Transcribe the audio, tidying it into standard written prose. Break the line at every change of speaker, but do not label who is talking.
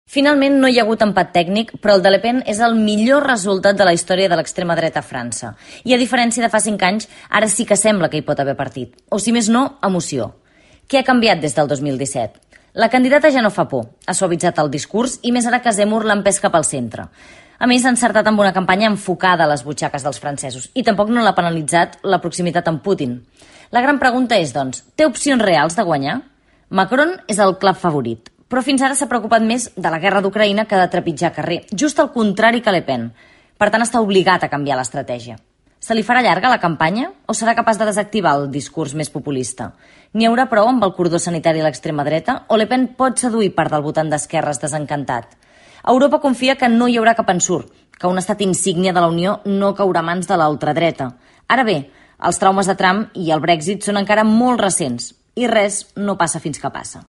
Finalment no hi ha hagut empat tècnic, però el de Le Pen és el millor resultat de la història de l'extrema dreta a França. I a diferència de fa 5 anys, ara sí que sembla que hi pot haver partit. O si més no, emoció. Què ha canviat des del 2017? La candidata ja no fa por, ha suavitzat el discurs i més ara que Zemmour l'ha empès cap al centre. A més, ha encertat amb una campanya enfocada a les butxaques dels francesos i tampoc no l'ha penalitzat la proximitat amb Putin. La gran pregunta és, doncs, té opcions reals de guanyar? Macron és el clar favorit, però fins ara s'ha preocupat més de la guerra d'Ucraïna que de trepitjar carrer, just al contrari que Le Pen. Per tant, està obligat a canviar l'estratègia. Se li farà llarga la campanya o serà capaç de desactivar el discurs més populista? N'hi haurà prou amb el cordó sanitari a l'extrema dreta o Le Pen pot seduir part del votant d'esquerres desencantat? Europa confia que no hi haurà cap ensurt, que un estat insígnia de la Unió no caurà a mans de l'ultradreta. Ara bé, els traumes de Trump i el Brexit són encara molt recents i res no passa fins que passa.